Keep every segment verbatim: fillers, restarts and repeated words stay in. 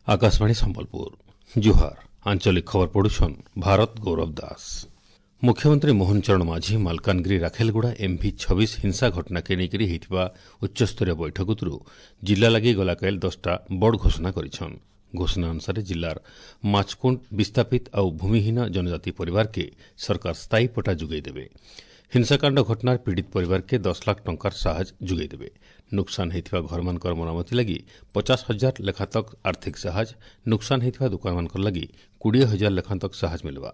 ଆକାଶବାଣୀ ସମ୍ବଲପୁର ଜୁହାର ଆଞ୍ଚଳିକ ଖବର ପଢୁଛନ୍ ଭାରତ ଗୌରବ ଦାସ ମୁଖ୍ୟମନ୍ତ୍ରୀ ମୋହନ ଚରଣ ମାଝୀ ମାଲକାନଗିରି ରାଖେଲଗୁଡ଼ା ଏମ୍ଭି ଛବିଶ ହିଂସା ଘଟଣାକେ ନେଇକରି ହୋଇଥିବା ଉଚ୍ଚସ୍ତରୀୟ ବୈଠକରୁ ଜିଲ୍ଲା ଲାଗି ଗଲାକାଲି ଦଶଟା ବଡ଼ ଘୋଷଣା କରିଛନ୍ ଘୋଷଣା ଅନୁସାରେ ଜିଲ୍ଲାର ମାଛକୁଣ୍ଡ ବିସ୍ଥାପିତ ଆଉ ଭୂମିହୀନ ଜନଜାତି ପରିବାରକେ ସରକାର ସ୍ଥାୟୀ ପଟ୍ଟା ଯୋଗାଇ ଦେବେ ହିଂସାକାଣ୍ଡ ଘଟଣାର ପୀଡ଼ିତ ପରିବାରକେ ଦଶ ଲାଖ ଟଙ୍କାର ସାହାଯ୍ୟ ଯୋଗାଇ ଦେବେ ନୁକସାନ ହୋଇଥିବା ଘରମାନଙ୍କର ମରାମତି ଲାଗି ପଚାଶ ହଜାର ଲେଖା ତକ ଆର୍ଥିକ ସାହାଯ୍ୟ ନୁକସାନ ହୋଇଥିବା ଦୋକାନମାନଙ୍କର ଲାଗି କୋଡ଼ିଏ ହଜାର ଲେଖା ତକ ସାହାଯ୍ୟ ମିଳିବା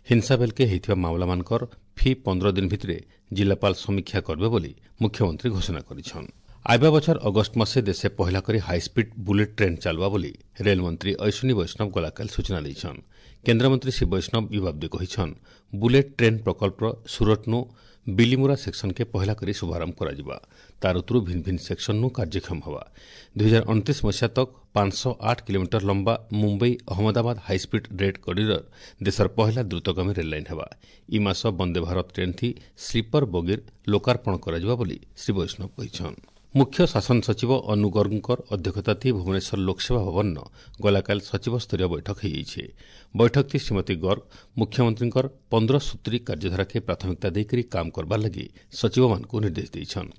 ହିଂସା ବେଲକେ ହୋଇଥିବା ମାମଲାମାନଙ୍କର ଫି ପନ୍ଦର ଦିନ ଭିତରେ ଜିଲ୍ଲାପାଳ ସମୀକ୍ଷା କରିବେ ବୋଲି ମୁଖ୍ୟମନ୍ତ୍ରୀ ଘୋଷଣା କରିଛନ୍ ଆଇବା ବଛର ଅଗଷ୍ଟ ମାସେ ଦେଶେ ପହିଲା କରି ହାଇସ୍ପିଡ୍ ବୁଲେଟ୍ ଟ୍ରେନ୍ ଚାଲବା ବୋଲି ରେଲମନ୍ତ୍ରୀ ଅଶ୍ୱିନୀ ବୈଷ୍ଣବ ଗଲାକାଲି ସୂଚନା ଦେଇଛନ୍ କେନ୍ଦ୍ରମନ୍ତ୍ରୀ ଶ୍ରୀ ବୈଷ୍ଣବ ଇ ବାବଦେ କହିଛନ୍ ବୁଲେଟ୍ ଟ୍ରେନ୍ ପ୍ରକଳ୍ପର ସୁରଟନୁ ବିଲିମୁରା ସେକ୍ସନକେ ପହିଲା କରି ଶୁଭାରମ୍ଭ କରାଯିବା ତାର ଉତରୁ ଭିନ୍ନ ଭିନ୍ନ ସେକ୍ସନନୁ କାର୍ଯ୍ୟକ୍ଷମ ହେବା ଦୁଇହଜାର ଅଣତିରିଶ ମସିହା ତକ ପାଞ୍ଚଶହ ଆଠ କିଲୋମିଟର ଲମ୍ବା Mumbai Ahmedabad high speed rail corridor ଦେଶର ପହିଲା ଦ୍ରୁତଗାମୀ ରେଲ୍ ଲାଇନ୍ ହେବା ଇ ମାସ ବନ୍ଦେ ଭାରତ ଟ୍ରେନ୍ ଥି ସ୍ଲିପର ବଗିର ଲୋକାର୍ପଣ କରାଯିବା ବୋଲି ଶ୍ରୀ ବୈଷ୍ଣବ କହିଛନ୍ ମୁଖ୍ୟ ଶାସନ ସଚିବ ଅନୁ ଗର୍ଗଙ୍କର ଅଧ୍ୟକ୍ଷତା ଥି ଭୁବନେଶ୍ୱର ଲୋକସେବା ଭବନ ଗଲାକାଲି ସଚିବସ୍ତରୀୟ ବୈଠକ ହୋଇଯାଇଛି ବୈଠକ ଶ୍ରୀମତୀ ଗର୍ଗ ମୁଖ୍ୟମନ୍ତ୍ରୀଙ୍କର ପନ୍ଦର ସୂତ୍ରୀ କାର୍ଯ୍ୟଧାରାକେ ପ୍ରାଥମିକତା ଦେଇକରି କାମ କରବାର ଲାଗି ସଚିବମାନଙ୍କୁ ନିର୍ଦ୍ଦେଶ ଦେଇଛନ୍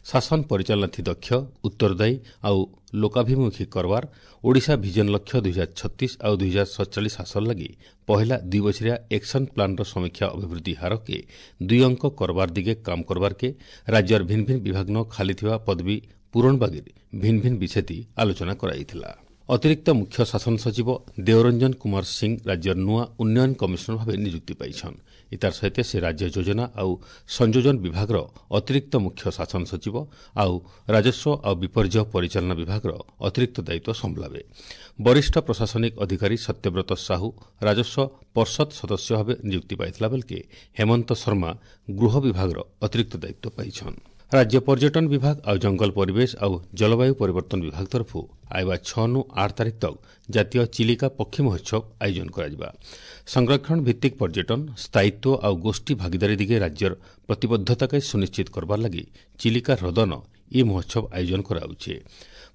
ଶାସନ ପରିଚାଳନା ଥି ଦକ୍ଷ ଉତ୍ତରଦାୟୀ ଆଉ ଲୋକାଭିମୁଖୀ କରବାର ଓଡ଼ିଶା ଭିଜନ ଲକ୍ଷ୍ୟ ଦୁଇହଜାର ଛତିଶ ଆଉ ଦୁଇହଜାର ସତଚାଳିଶ ହାସଲ ଲାଗି ପହିଲା ଦୁଇ ବଛରିଆ ଏକ୍ସନ୍ ପ୍ଲାନ୍ର ସମୀକ୍ଷା ଅଭିବୃଦ୍ଧି ହାରକେ ଦୁଇ ଅଙ୍କ କରବାର ଦିଗେ କାମ କରବାରକେ ରାଜ୍ୟର ଭିନ୍ନ ଭିନ୍ନ ବିଭାଗନ ଖାଲି ଥିବା ପଦବୀ ପୂରଣ ବାଗିର ଭିନ୍ନ ଭିନ୍ନ ବିଷୟତି ଆଲୋଚନା କରାଯାଇଥିଲା ଅତିରିକ୍ତ ମୁଖ୍ୟ ଶାସନ ସଚିବ ଦେଓରଞ୍ଜନ କୁମାର ସିଂ ରାଜ୍ୟର ନୂଆ ଉନ୍ନୟନ କମିଶନର ଭାବେ ନିଯୁକ୍ତି ପାଇଛନ୍ ଇତାର ସହିତ ସେ ରାଜ୍ୟ ଯୋଜନା ଆଉ ସଂଯୋଜନ ବିଭାଗର ଅତିରିକ୍ତ ମୁଖ୍ୟ ଶାସନ ସଚିବ ଆଉ ରାଜସ୍ୱ ଆଉ ବିପର୍ଯ୍ୟୟ ପରିଚାଳନା ବିଭାଗର ଅତିରିକ୍ତ ଦାୟିତ୍ୱ ସମ୍ଭାଳିବେ ବରିଷ୍ଠ ପ୍ରଶାସନିକ ଅଧିକାରୀ ସତ୍ୟବ୍ରତ ସାହୁ ରାଜସ୍ୱ ପର୍ଷଦ ସଦସ୍ୟ ଭାବେ ନିଯୁକ୍ତି ପାଇଥିଲା ବେଳକେ ହେମନ୍ତ ଶର୍ମା ଗୃହ ବିଭାଗର ଅତିରିକ୍ତ ଦାୟିତ୍ୱ ପାଇଛନ୍ ରାଜ୍ୟ ପର୍ଯ୍ୟଟନ ବିଭାଗ ଆଉ ଜଙ୍ଗଲ ପରିବେଶ ଆଉ ଜଳବାୟୁ ପରିବର୍ତ୍ତନ ବିଭାଗ ତରଫରୁ ଆଇବା ଛଅ ନୁ ଆଠ ତାରିଖ ତକ ଜାତୀୟ ଚିଲିକା ପକ୍ଷୀ ମହୋତ୍ସବ ଆୟୋଜନ କରାଯିବା ସଂରକ୍ଷଣ ଭିତ୍ତିକ ପର୍ଯ୍ୟଟନ ସ୍ଥାୟିତ୍ୱ ଆଉ ଗୋଷ୍ଠୀ ଭାଗିଦାରୀ ଦିଗେ ରାଜ୍ୟର ପ୍ରତିବଦ୍ଧତାକେ ସୁନିଶ୍ଚିତ କରବାର ଲାଗି ଚିଲିକା ହ୍ରଦନ ଇ ମହୋତ୍ସବ ଆୟୋଜନ କରାଯାଉଛି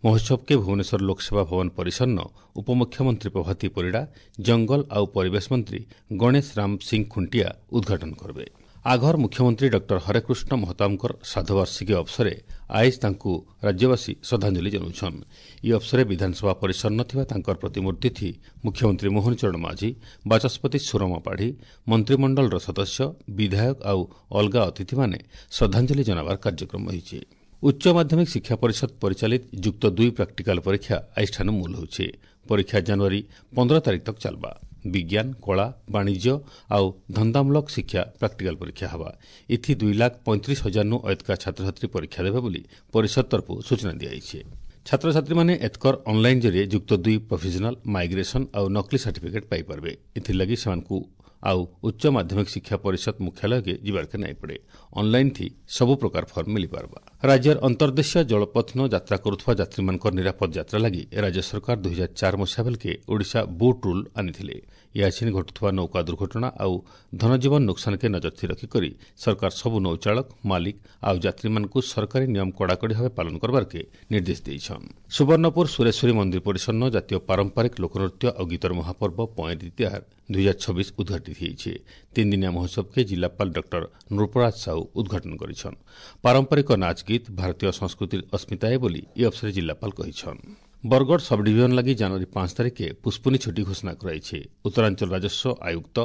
ମହୋତ୍ସବକେ ଭୁବନେଶ୍ୱର ଲୋକସେବା ଭବନ ପରିସରନ ଉପମୁଖ୍ୟମନ୍ତ୍ରୀ ପ୍ରଭାତୀ ପରିଡ଼ା ଜଙ୍ଗଲ ଆଉ ପରିବେଶ ମନ୍ତ୍ରୀ ଗଣେଶ ରାମ ସିଂ ଖୁଣ୍ଟିଆ ଉଦ୍ଘାଟନ କରିବେ ଆଘର ମୁଖ୍ୟମନ୍ତ୍ରୀ ଡକ୍ଟର ହରେକୃଷ୍ଣ ମହତାବଙ୍କର ଶ୍ରାଦ୍ଧବାର୍ଷିକୀ ଅବସରେ ଆଇଜ ତାଙ୍କୁ ରାଜ୍ୟବାସୀ ଶ୍ରଦ୍ଧାଞ୍ଜଳି ଜଣାଉଛନ୍ ଇ ଅବସରେ ବିଧାନସଭା ପରିସର ଥିବା ତାଙ୍କର ପ୍ରତିମୂର୍ତ୍ତି ଥି ମୁଖ୍ୟମନ୍ତ୍ରୀ ମୋହନ ଚରଣ ମାଝୀ ବାଚସ୍ପତି ସୁରମା ପାଢ଼ୀ ମନ୍ତ୍ରିମଣ୍ଡଳର ସଦସ୍ୟ ବିଧାୟକ ଆଉ ଅଲଗା ଅତିଥିମାନେ ଶ୍ରଦ୍ଧାଞ୍ଜଳି ଜଣାବାର କାର୍ଯ୍ୟକ୍ରମ ରହିଛି ଉଚ୍ଚ ମାଧ୍ୟମିକ ଶିକ୍ଷା ପରିଷଦ ପରିଚାଳିତ ଯୁକ୍ତ ଦୁଇ ପ୍ରାକ୍ଟିକାଲ ପରୀକ୍ଷା ଆଜିଠାନୁ ମୂଲ ହେଉଛି ପରୀକ୍ଷା ଜାନୁଆରୀ ପନ୍ଦର ତାରିଖ ତକ ଚାଲବା ବିଜ୍ଞାନ କଳା ବାଣିଜ୍ୟ ଆଉ ଧନ୍ଦାମୂଳକ ଶିକ୍ଷା ପ୍ରାକ୍ଟିକାଲ ପରୀକ୍ଷା ହେବା ଏଥି ଦୁଇ ଲାଖ ପଇଁତିରିଶ ହଜାରନୁ ଅଏତକା ଛାତ୍ରଛାତ୍ରୀ ପରୀକ୍ଷା ଦେବେ ବୋଲି ପରିଷଦ ତରଫରୁ ସୂଚନା ଦିଆଯାଇଛି ଛାତ୍ରଛାତ୍ରୀମାନେ ଏତକର ଅନ୍ଲାଇନ୍ ଜରିଏ ଯୁକ୍ତ ଦୁଇ ପ୍ରୋଭିଜନାଲ ମାଇଗ୍ରେସନ୍ ଆଉ ନକଲି ସାର୍ଟିଫିକେଟ୍ ପାଇପାରିବେ ଏଥିଲାଗି ସେମାନଙ୍କୁ ଆଉ ଉଚ୍ଚ ମାଧ୍ୟମିକ ଶିକ୍ଷା ପରିଷଦ ମୁଖ୍ୟାଳୟକେ ଯିବାର୍କେ ନାଇଁ ପଡ଼େ ଅନ୍ଲାଇନ୍ ଥି ସବୁ ପ୍ରକାର ଫର୍ମ ମିଳିପାରବା ରାଜ୍ୟର ଅନ୍ତର୍ଦେଶୀୟ ଜଳପଥନ ଯାତ୍ରା କରୁଥିବା ଯାତ୍ରୀମାନଙ୍କର ନିରାପଦ ଯାତ୍ରା ଲାଗି ରାଜ୍ୟ ସରକାର ଦୁଇହଜାର ଚାର ମସିହା ବେଲକେ ଓଡ଼ିଶା ବୋଟ୍ ରୁଲ୍ ଆଣିଥିଲେ ଇହାଛିନ୍ ଘଟୁଥିବା ନୌକା ଦୁର୍ଘଟଣା ଆଉ ଧନଜୀବନ ନୁକସାନକେ ନଜର ଥି ରଖିକରି ସରକାର ସବୁ ନୌଚାଳକ ମାଲିକ ଆଉ ଯାତ୍ରୀମାନଙ୍କୁ ସରକାରୀ ନିୟମ କଡ଼ାକଡ଼ି ଭାବେ ପାଳନ କରବାର୍କେ ନିର୍ଦ୍ଦେଶ ଦେଇଛନ୍ ସୁବର୍ଣ୍ଣପୁର ସୁରେଶ୍ୱରୀ ମନ୍ଦିର ପରିସରନ ଜାତୀୟ ପାରମ୍ପରିକ ଲୋକନୃତ୍ୟ ଆଉ ଗୀତର ମହାପର୍ବ ପଏଁରି ତିହାର ଦୁଇହଜାର ଛବିଶ ଉଦ୍ଘାଟିତ ହୋଇଛି ତିନିଦିନିଆ ମହୋତ୍ସବକେ ଜିଲ୍ଲାପାଳ ଡକ୍ଟର ନୃପରାଜ ସାହୁ ଉଦ୍ଘାଟନ କରିଛନ୍ ପାରମ୍ପରିକ ନାଚ ଗୀତ ଭାରତୀୟ ସଂସ୍କୃତିର ଅସ୍ମିତା ବୋଲି ଇ ଅବସରରେ ଜିଲ୍ଲାପାଳ କହିଛନ୍ ବରଗଡ଼ ସବଡିଭିଜନ ଲାଗି ଜାନୁଆରୀ ପାଞ୍ଚ ତାରିଖେ ପୁଷ୍ପୁନି ଛୁଟି ଘୋଷଣା କରାଯାଇଛି ଉତ୍ତରାଞ୍ଚଳ ରାଜସ୍ୱ ଆୟୁକ୍ତ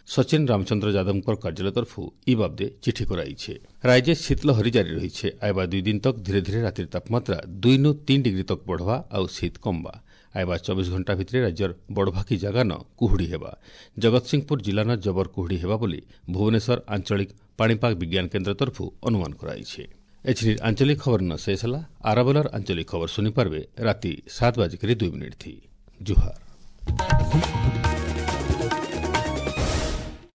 ସଚିନ ରାମଚନ୍ଦ୍ର ଯାଦବଙ୍କ କାର୍ଯ୍ୟାଳୟ ତରଫରୁ ଇ ବାବଦେ ଚିଠି କରାଯାଇଛି ରାଜ୍ୟ ଶୀତଲହରୀ ଜାରି ରହିଛି ଆଇବା ଦୁଇ ଦିନ ତକ ଧୀରେ ଧୀରେ ରାତିର ତାପମାତ୍ରା ଦୁଇ ନୁ ତିନି ଡିଗ୍ରୀ ତକ ବଢ଼ବା ଆଉ ଶୀତ କମବା ଆଇବା ଚବିଶ ଘଣ୍ଟା ଭିତରେ ରାଜ୍ୟର ବଡ଼ଭାକି ଜାଗାନ କୁହୁଡ଼ି ହେବା ଜଗତସିଂହପୁର ଜିଲ୍ଲାନ ଜବର କୁହୁଡ଼ି ହେବା ବୋଲି ଭୁବନେଶ୍ୱର ଆଞ୍ଚଳିକ ପାଣିପାଗ ବିଜ୍ଞାନ କେନ୍ଦ୍ର ତରଫରୁ ଅନୁମାନ କରାଯାଇଛି ଏଥିରେ ଆଞ୍ଚଳିକ ଖବର ନ ଶେଷ ହେଲା ଆରବେଲର ଆଞ୍ଚଳିକ ଖବର ଶୁଣିପାରିବେ ରାତି ସାତ ବାଜିକରି ଦୁଇ ମିନିଟ୍ ଥି ଜୁହାର